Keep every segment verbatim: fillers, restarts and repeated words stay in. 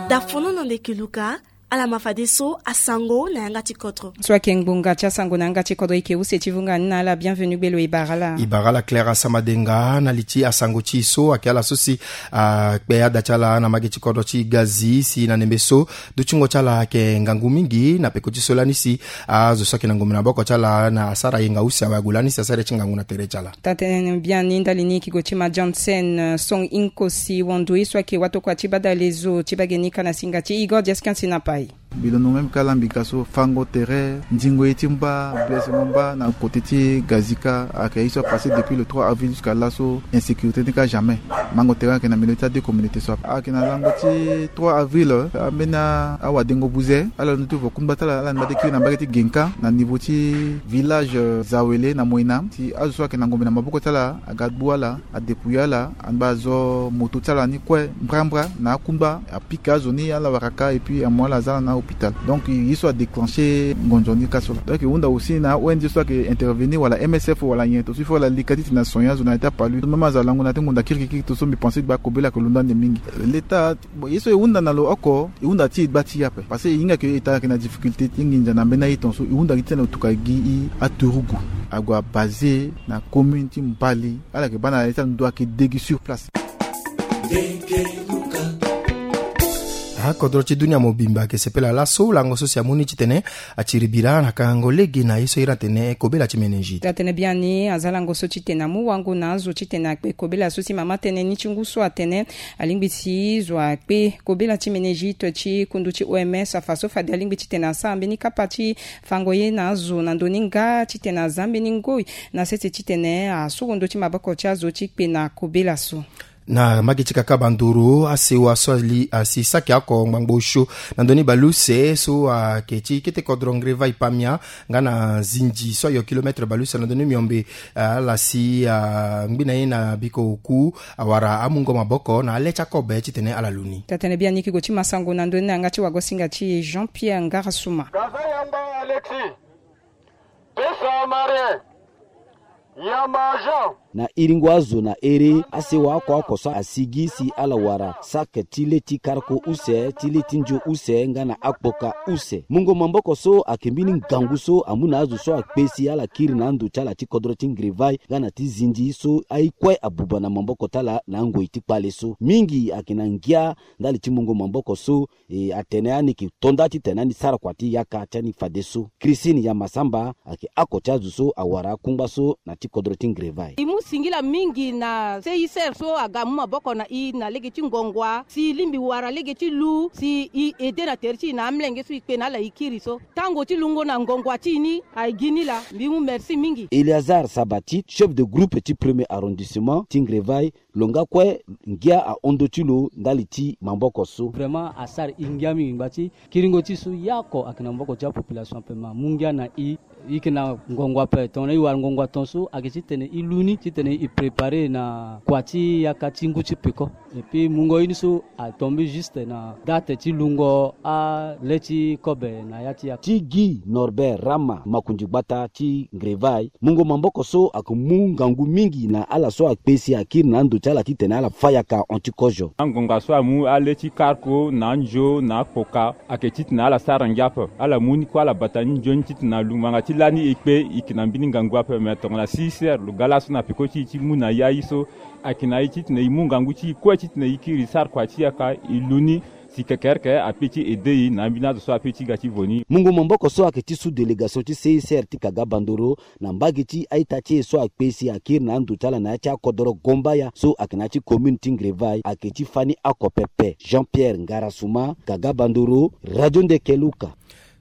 Dafono na ndeke luka. Ala ma fadeso asango na yanga ti kodro. So ayeke ngbonga ti asango na yanga ti kodro, e yeke use ti vunga ni na ala. Bienvenu gbelo, e bara ala. E bara ala Claire Asamadenga. Na li ti asango ti e so ayeke ala so si akpe ada ti ala na mbage ti kodro ti Gazi, si na ndembe so dutingo ti ala ayeke ngangu mingi na peko ti so lani si azo so ayeke na ngombe na maboko ti ala na asara yenga use awe ague lani si asara ye ti ngangu na tere ti ala. Taa tënë biani ndali ni e yeke gue ti ma Johnson Song Inkosi, wando ye so ayeke watokua ti badale zo ti bage ni ka na singa ti Igor Diaskin Sinapai. Bilono même ka lambika so, fango tere, ndingo ye ti mba, blessengo mba na côté ti Gazika, ayeke ye so apasse depuis le trois avril jusqu'à laso, insécurité ni ka jamais. Mango tere ayeke na milieu ti ade communauté so ayeke na lango ti trois avril, ambeni awadengo buze ala londo ti vo kungba ti ala, ala ngba ti kiri na mbage ti Genka na niveau ti village, euh, Zawele na Moina, si azo so ayeke na ngombe na maboko ti ala aga gbu ala, adépouye ala, angba azo moto ti ala ni kue mbrambra na akungba, apika azo ni ala wara ka et puis amu ala aza ala na hôpital. Donc ye so adéclenché ngonzo ni ka so la. Donc e hunda aussi na O N G so ayeke intervenir wala M S F wala nyen, to so il faut ala leka ti tene na son ya azo na ya ti apalu. Même azo alango na ya ti ngonda kirikiri to so mbi pensé ti gba kobela ayeke londo ande mingi. L'État, bon, ye so e hunda na lo oko, e hunda ti e gba ti e ape. Parce que e hinga ke État ayeke na difficulté ti nginza na mbeni aye tongaso, e hunda gi ti tene lo tuka gi e aturugu ague abasé na commune ti Mbali. Ala yeke baa na ya ti ando ayeke de gi sur place. Akodro ti dunia mobimba ayeke sepela laso lango so si amu ni titene atiri bira na kangango lege na ye so iri atene kobela ti méningite. Taa tënë biani aza lango so titene amu wango na azo titene akpe kobela so si mama tënë ni ti ngu so atene alingbi si zo akpe kobela ti méningite ti kundu ti O M S afa so fade alingbi titene asara mbeni kapa ti fango ye na azo na ndö ni nga titene aza mbeni ngoi na sese titene asoro ndö ti maboko ti azo ti kpe na kobela so. Na mbage ti kaka Bandoro, asewa so ali asi saki oko ngbangbo osio na ndö ni baleuse so ayeke ti kete kodro Ngrevai Pamia nga na Zindji so ayo kilomètre baleuse na ndö ni miombe, ala si angbi na ye na biko oku awara amungo maboko na ale ti akobe titene ala lu ni. Taa tënë biani e yeke gue ti ma sango na ndö ni na yanga ti wagosinga ti Jean Pierre Ngarasuma. Gaza Yamba Alexis. Pesa Marie. Yamba Jean. Na iringo azo na ere, asewa oko oko so asi gi si ala wara saki ti le ti karko use, ti le ti nzio use nga na akpoka use. Mungo maboko so ayeke mbeni ngangu so amu na azo so akpe si ala kiri na ando ti ala ti kodro ti Ngrevai nga na ti Zindji so aye kue abuba na maboko ti ala na angoi ti kpale so. Mingi ayeke na ngia ndali ti mungo maboko so, e, atene ani yeke to nda titene ani sara kua ti yaka ti ani fadeso. Christine Yamasamba ayeke oko ti azo so awara akungba so na ti kodro ti Ngrevai. E mu singila mingi na C I C R so aga amu maboko na e na lege ti ngongua si e lingbi wara lege ti lu si e aidé na tere ti e na amolenge so e kpe na ala e kiri so. Tango ti lungo na ngongua ti e ni aye gi ni laa. Mbi mu merci mingi. Éléazar Sabati, chef de groupe ti premier arrondissement ti Ngrevai, lo nga kue ngia ahon ndö ti lo ndali ti maboko so. Vraiment asara e ngia mingi ngba ti kiringo ti e so ye oko ayeke na maboko ti apopulation ape, ma amu ngia na e. E yeke na ngongo ape, tongana e wara ngongo atongaso ayeke titene e lu ni titene e préparer na kua ti yaka ti ngu ti peko. Et puis mungo ye ni so atombe juste na date ti lungo ale ti kobe na ya ti yaka. Ti Guy Norbert Rama, makonzi gbata ti Ngrevai, mungo maboko so ayeke mu ngangu mingi na ala so akpe si akiri na ando ti ala titene ala fa yaka ahon ti kozo. Angonga so amu ale ti karko na anzio na akpoka ayeke titene ala sara ngia ape. Ala mu ni kue ala bata ni nzoni titene na lungbanga ti lani e kpe e yeke na mbeni ngangu ape. Me tongana C I C R lo ga laso na peko ti e ti mu na ya ye so ayeke na e titene e mu ngangu ti e kue titene e kiri e sara kua ti yaka e lu ni. Si kekereke ape ti aidé e na ambeni azo so ape ti ga ti vo ni. Mungo maboko so ayeke ti sous-délégation ti C I C R ti Kaga Bandoro na mbage ti a-ita ti e so akpe si akiri na ando ti ala na ya ti akodoro Gombaya so ayeke na ya ti commune ti Ngrevai ayeke ti fani oko pepe. Jean Pierre Ngarasuma, Kaga Bandoro, Radio Ndeke Luka.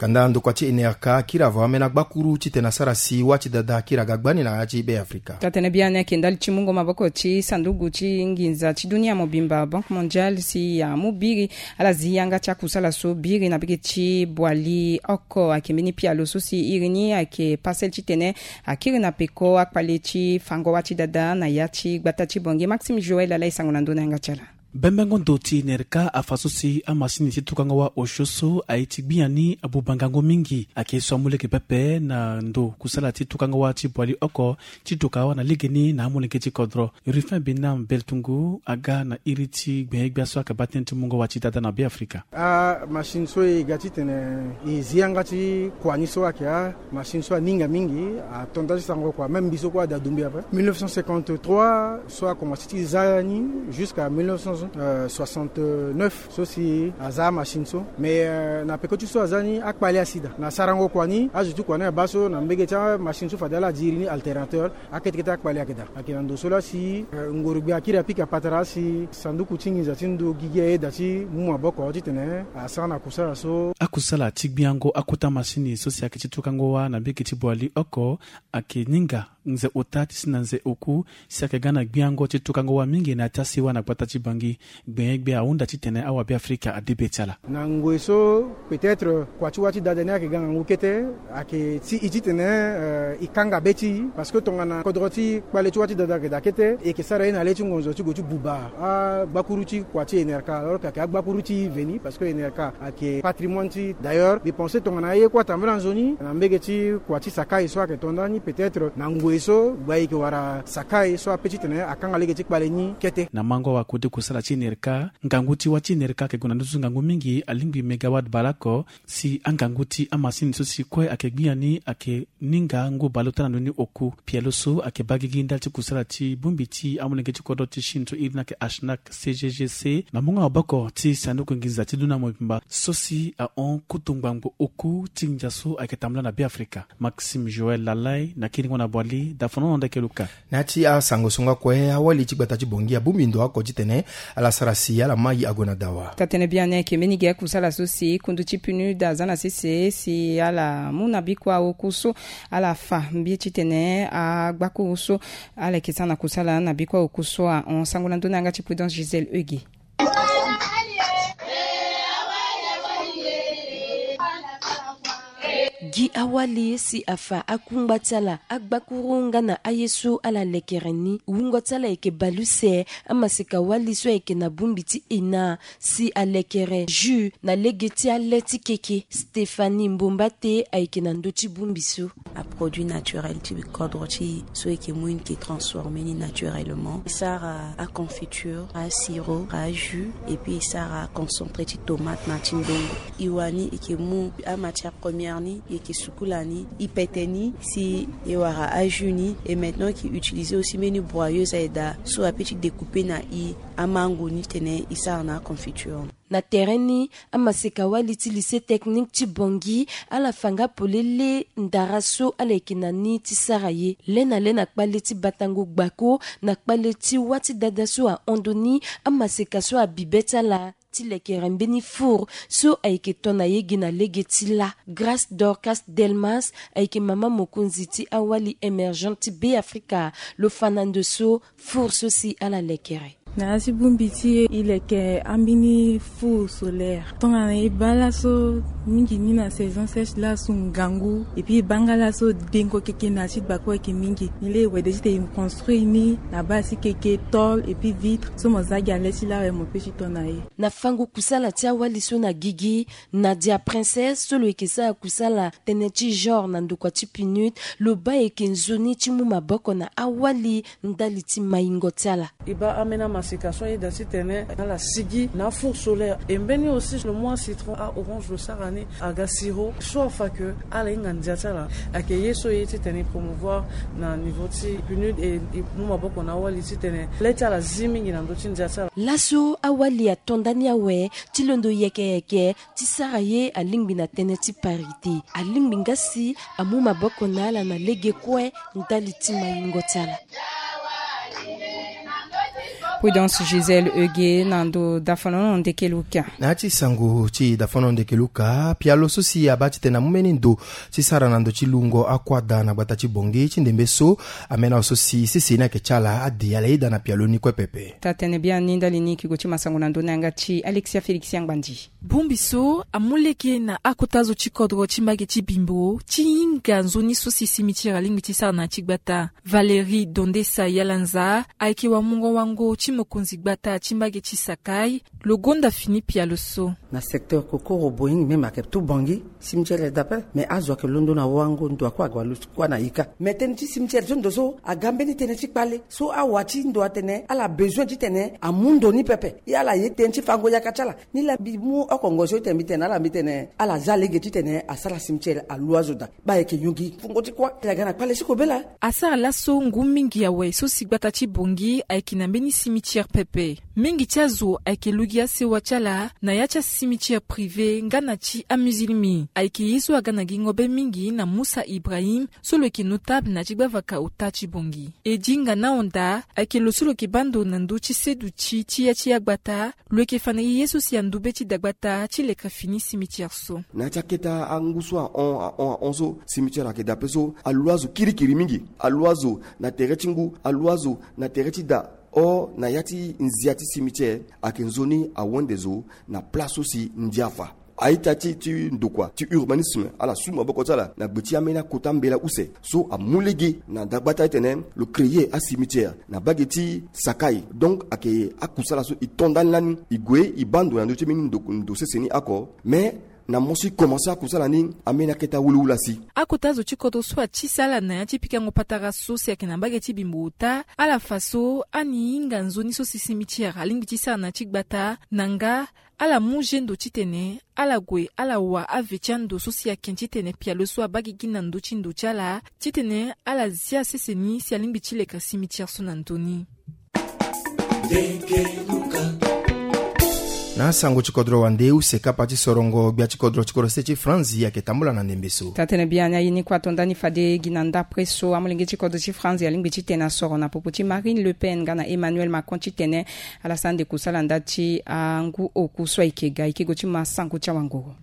Kanda ndokua ti N R K akiri avo ambeni agbakuru titene asara si wâ ti dada akiri aga gbani na ya ti Be Afrika. Taa tënë biani ayeke ndali ti mungo maboko ti sanduku ti nginza ti dunia mobimba, Banque Mondiale, si amu biri ala zi yanga ti akusala so biri na mbage ti Boali oko. Ayeke mbeni pialo so si iri ni ayeke pasel titene akiri na peko akpale ti fango wâ ti dada na ya ti gbata ti Bangui. Maxime Joël ala e sango na ndö ni na yanga ti ala. Bembengo ndo ti nerka afa so si amasini ti tukango wâ osio so aye ti gbia ni abuba ngangu mingi. Ayeke so amu lege pepe na ndo kusala ti tukango wâ ti boili oko ti doka wâ na legeni na amolenge ti kodro. Rufin Binam Beltungu aga na iri ti gbenye-gbia so ayeke baa tënë ti mungo wâ ti dada na Beafrika. Amachine so e ga titene e zi yanga ti kua ni so ayeke amachine so aninga mingi, ato nda ti sarango kua, même mbi so kue ada dumbi ape. Mille neuf cent cinquante-trois so akomanse ti za ni jusqu'à mille neuf cent soixante-neuf so si aza amachine so. Mais euh, na peko ti so aza ni akpale asi daa na sarango kua ni, azo ti kua ni abaa so na mbege ti amachine so fade ala diri ni alternateur, akete kete akpale ayeke daa. Ayeke na ndo so laa si euh, ngoro-gbia akiri apika patara si sanduku ti nginza ti ndo gigi ayeda ti mu maboko titene asara na kusala so. Akusala ti gbiango akota masini so si ayeke ti tukango wâ na mbege ti boili oko ayeke ninga nze ota ti si na nze oku, si ayeke ga na gbiango ti tukango wâ mingi na ya ti asiwa na gbata ti Bangi. Gbenye-gbia ahunda titene awabe Afrika ade be ti ala. Na ngoi so peut-être kua ti wâ ti dada ni ayeke ga ngangu kete, ayeke ti e titene euh, e kanga be ti e, parce que tongana kodro ti kpale ti wâ ti dada ayeke daa kete, e yeke sara ye na le ti ngonzo ti gue ti buba agbakuru ti kua ti enerka, alors que ayeke agbakuru ti veni, parce que enerka ayeke patrimoine ti. D'ailleurs mbi pense tongana aye kue atambula nzoni na mbege ti kua ti Sakai so ayeke to nda ni, peut-être na ngoi so gba e yeke wara Sakai so ape titene akanga lege ti kpale ni kete. Na mango wakode kusala ti enerka, ngangu ti wâ ti enerka ayeke gue na nduzu ngangu mingi, alingbi mégawatt baleoko. Si angangu ti amasini so si kue ayeke gbia ni ayeke ninga ngu baleota na ndoni oku. Pialo so ayeke baa gigi ndali ti kusala ti bongbi ti amolenge ti kodro ti Chine so iri ni ayeke Ashnak C G G C na mungo maboko ti sanduku nginza ti dunia mobimba so si ahon kutu ngbangbo oku ti nginza so ayeke tambula na Beafrika. Maxime Joël Lalai na kiringo na boili, dafonono ndeke luka. Na ya ti asango so nga kue, awali ti gbata ti Bongi abongbi ndo oko titene ala sara si ala mai ague na dawa. Taa-tënë biani ayeke mbeni ge akusala so si kundu ti PNUD aza na sese si ala mu na bikua oku so ala fa mbi titene agbakuru so ala yeke sara na kusala na bikua oku so ahon. Sango na ndö ni yanga ti Prudence Gisèle Euge. Gi awali si afa akungba ti ala, agbakuru nga na aye so ala lekere ni. Wungo ti ala ayeke bale use. Amaseka wali so ayeke na bongbi ti ena si alekere jus na lege ti ale ti keke. Stéphanie Mbombate ayeke na ndö ti bongbi so. Aproduit naturel ti kodro ti e so e yeke mu e ni, e yeke transformer ni naturellement. E sara aconfiture, asirop, ajus, et puis e sara aconcentré ti tomate na ti ndongo. E wani e yeke mu amatière première ni, e yeke sukula ni, e pete ni si e wara ajus ni. Et maintenant e yeke utiliser aussi mbeni broyeuse aye daa so ape ti découper na e amango ni titene e sara na aconfiture. Na tere ni, amaseka wali ti lycée technique ti Bangui ala fa nga polele ndara so ala yeke na ni ti sara ye. Lê na lê na kpale ti batango gbako na kpale ti wâ ti dada so ahon ndo ni, amaseka so abi be ti ala ti lekere mbeni four so ayeke to na ye gi na lege ti lâ. Grâce Dorcas Delmas ayeke mama mokonzi ti awali émergent ti Beafrika. Lo fa na ndo so four so si ala lekere. Na ya ti bongbi ti e, e leke ambeni four solaire. Tongana e baa laso mingi ni na saison sèche, laso ngangu, et puis e baa nga laso dengo keke na ya ti gbako ayeke mingi. Ni lê e wede titene e construire ni na base ti keke, tôle et puis vitre so mo za gi na le ti lâ awe mo peut ti to na ye. Na fango kusala ti awali so na gigi, Nadia Princesse so lo yeke sara kusala tënë ti genre na ndokua ti PNUD, lo baa e yeke nzoni ti mu maboko na awali ndali ti maingo ti ala. E baa ambeni amaseka so ayeda titene ala sigi na afour solaire. E mbeni aussi lo mu acitron, a-orange lo sara ni, aga sirop so afa ke ala hinga ndia ti ala. Ayeke ye so e ye titene e promouvoir na niveau ti PNUD, e, e mu maboko na awali titene le ti ala zi mingi na ndö ti ndia ti ala. Laso awali ato nda ni awe ti londo yeke yeke ti sara ye alingbi na tënë ti parité. Alingbi nga si amu maboko na ala na lege kue ndali ti maingo ti ala. Prudence Gisèle Euge na ndo dafonono ndeke luka. Na ya ti sango ti dafonono ndeke luka, pialo so si abaa titene amu mbeni ndo ti sara na ndo ti lungo akuâ da na gbata ti Bangui ti ndembe so amena so si sese ni ayeke ti ala ade ala yeda na pialo ni kue pepe. Taa-tënë biani ndali ni e yeke gue ti masango na ndö ni yanga ti Alexia Félix Angbandi. Bongbi so amu lege na akota zo ti kodro ti mbage ti Bimbo ti hinga nzoni so si simitiri alingbi ti sara na ya ti gbata. Valérie Dondesa Yalanza ayeke wamungo wango ti Mokonzi gbata ti mbage ti Sakai lo gonda fini pialo so. Na secteur kokoro boying même ayeke tout Bangui, cimetière ayeke daa ape. Mais azo ayeke londo na wango, ndo akue ague alusu kue na ika. Mais tënë ti cimetière so ndo so aga mbeni tënë ti kpale so awa ti ndo atene ala besoin titene amu ndo ni pepe. E ala ye tënë ti fango yaka ti ala. Ni laa mbi mu oko ngoi so ti tene mbi tene na ala, mbi tene ala za lege titene asara cimetière alu azo daa. Baa ayeke nyongi fungo ti kuâ. Tene aga na kpale ti kobela. Asara laso ngu mingi awe so si gbata ti Bangui ayeke na mbeni cimetière pepe. Mingi ti azo ayeke lu gi asewa ti ala na ya ti acimetière privé nga na ti amusulmi. Ayeke ye so aga na gingo be mingi na Moussa Ibrahim so lo yeke notable na ti gbavaka ota ti Bangui. E dinga na honda ayeke lo so lo yeke baa ndo na ndö ti seduti ti ya ti agbata. Lo yeke fa na e ye so si andu be ti dagbata ti leka fini cimetière so. Na ya ti akete angu so ahon ahon ahon so cimetière ayeke daa ape so alu azo kirikiri mingi. Alu azo na tere ti ngu, alu azo na tere ti da. Or na ya ti nzia ti cimetière ayeke nzoni awende zo na place so si ndia afa. A-ita ti ti ndokua ti urbanisme ala su maboko ti ala na gbe ti ambeni akota mbela use so amu lege na dagbata titene lo créer acimetière na mbage ti Sakai. Donc ayeke akusala so e to ndani lani, e gue e baa ndo na ndö ti mbeni ndo, ndo sese ni oko. Mais na mo so e komanse akusala ni, ambeni akete awulewula si. Akota zo ti kodro so ati si ala na ya ti pikango patara so si ayeke na mbage ti Bimbo ota, ala fa so ani hinga nzoni so si cimetière alingbi ti sara na ya ti gbata, na nga ala mu zendo titene ala gue ala wa ave ti ando so si ayeke titene pialo so abaa gigi na ndö ti ndo ti ala, titene ala zia sese ni si alingbi ti leka cimetière so na ndö ni. Na sango ti kodro wande, use kapa ti sorongo gbia ti kodro ti kodro se ti Franzi ayeke tambula na ndembe so. Taa-tënë biani aye ni kue ato ndani fade gi na ndapre so amolenge ti kodro ti Franzi alingbi titene asoro na popo ti Marine Le Pen nga na Emmanuel Macron titene ala sara ande kusala nda ti angu oku so ayeke ga. Ayeke gue ti ma sango ti awanguru.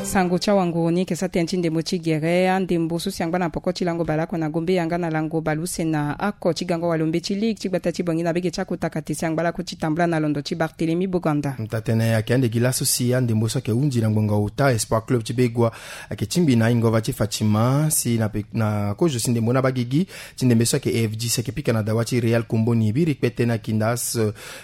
Sango ti awanguru ni yeke sara tënë ti ndembo ti gere. Andembo so si angba na poko ti lango baleoko na Gombe yanga na lango baleuse na oko ti gango walo mbeti ligue ti gbata ti Bangui na bege ti akota kate si angba lakue ti tambula na londo ti Barthélemy Boganda. Taa-tënë ayeke ande gi laso si andembo so ayeke hunzi na ngbonga ota Espoir Club ti Begua ayeke tingbi na ingova ti Fatima si na pe, na kozo si ndembo ni abaa gigi. Ti ndembe so ayeke A F D C ayeke pika na dawa ti Real Komboni biri kpete na kinda as,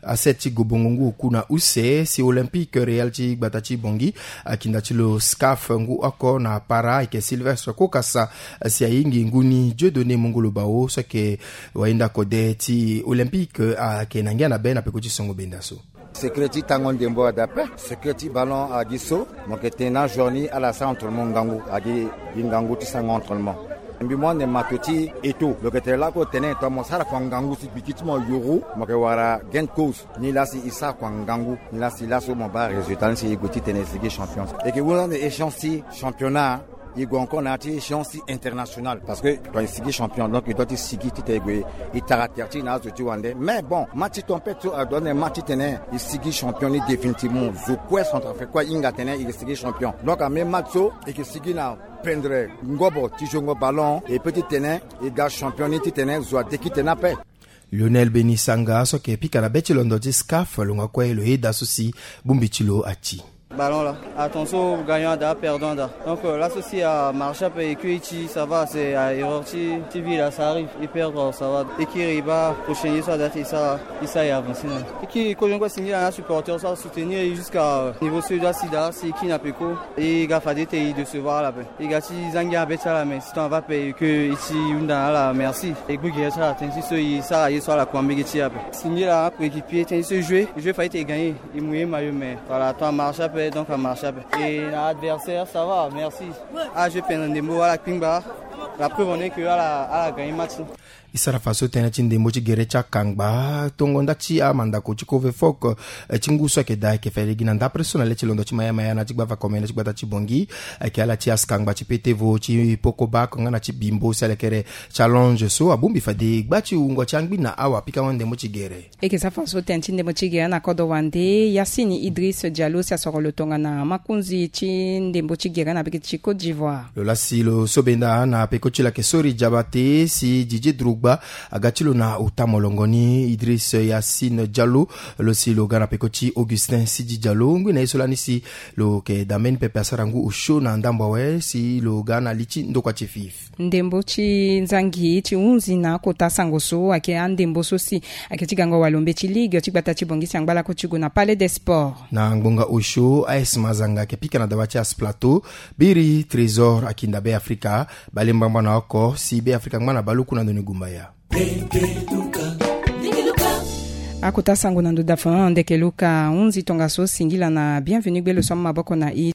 aset ti gobongo ngu oku na use si Olympique Real ti gbata ti Bangui, akinda ti lo SCAF ngu oko na para ayeke Sylvestre Kokasa, si ahingi ngu ni Dieudonné Mongolo Bao so ayeke wayenda kode ti Olympique, ayeke na ngia na be na peko ti songo benda so. Secret ti tango ndembo ada ape. Secret ti ballon agi so, mo yeke tene na jour ni ala sara entraînement ngangu, agi gi ngangu ti sarango entraînement. Mbi mu ande mato ti eto lo yeke tene lakue tene tongana mo sara kua ngangu si gbiki ti mo yuru, mo yeke wara gain de cause. Ni laa si e sara kua ngangu, ni laa si laso mo baa résultat ni si e gue titene e sigi champion. E yeke hunda ande échéance ti championnat. E gue encore na ya ti échéance ti internationale parce que tongana e sigi champion donc e doit ti sigi titene e gue e tara terre ti e na azo ti wande. Mais bon, match ti tempête so ado ande match titene e sigi champion ni définitivement. Zo kue centrafricain kue ahinga tene e yeke sigi champion. Donc ame match so e yeke sigi na pendre ngobo ti jongo ballon e peut titene e ga champion ni titene zo adeki tene ape. Lionel Beni Sanga so ayeke pika na be ti londo ti SCAF lo ngua kue lo yeda so si bongbi ti lo ati. Ballon là. Attention, gagnant da, perdant da. Donc euh, là ceci a marché un peu et que ici ça va, c'est à erreur ti, ti vie là, ça arrive. Il perd, ça va. Et qui riba prochain ça date et ça, et ça est avancé là. Et qui quand je vois signer un supporter ça soutenir jusqu'à euh, niveau sud là, sida, c'est qui n'a pas quoi. Et il a fallu te décevoir là-bas. E ga ti za ngia na be ti ala, mais si tongana va pe e ke e ti hunda na ala merci. E gbu gere ti ala tënë ti so e sara ye so ala kua mbege ti e ape. Singila na coéquipier tënë ti so e joue, e joue fade ti e gagner. E mu ye mayo, mais voilà, tongana marché ape donc amarché ape. E na adversaire ça va, merci. Ala joue pendant ndembo, ala kpingba. La preuve en est que ala, ala gagner match. E sara fa so tënë ti ndembo ti gere ti akangba tongo nda ti amandako ti Covefok, eh, ti ngu so ayeke daa ayeke fade gi na ndapre so na le ti londo ti Maya Maya na ti gbava komene ti gbata ti Bangui. Ayeke ala ti askangba ti petevo ti Pokobak nga na ti Bimbo si alekere Challenge so abongbi fade gba ti wungo ti angbi na awa pikango ndembo ti gere. E yeke sara fa so tënë ti ndembo ti gere na kodro wande. Yacine Idriss Diallo si asoro lo tongana makonzi ti ndembo ti gere na bege ti Côte d'Ivoire. Lo lasi lo so benda na peko Ti lo ayeke sori Diabate si Didier Drogba aga ti lo na ota molongo ni. Idriss Yassine Diallo, lo si lo ga na peko ti Augustin Sidi Diallo, ngui na ye so lani si lo yeke da mbeni pepe asara ngu osio na ndambo awe si lo ga na li ti ndokua ti fif. Ndembo ti nzangi ti hunzi na akota sango so ayeke andembo so si ayeke ti gango walo mbeti ligue ti gbata ti Bongisi angba lako ti gue na Palais des Sports. Na ngbonga osio, A S Mazanga ayeke pika na dawa ti As Plateau. Biri Trésor akinda Be Afrika. Bale ngbangba na oko si Be Afrika ngba na baluku na ndo ni gumbaya. Akota sango na ndo dafa ndeke luka hunzi tongaso singila na Bienvenu Gbelo so amu maboko na i.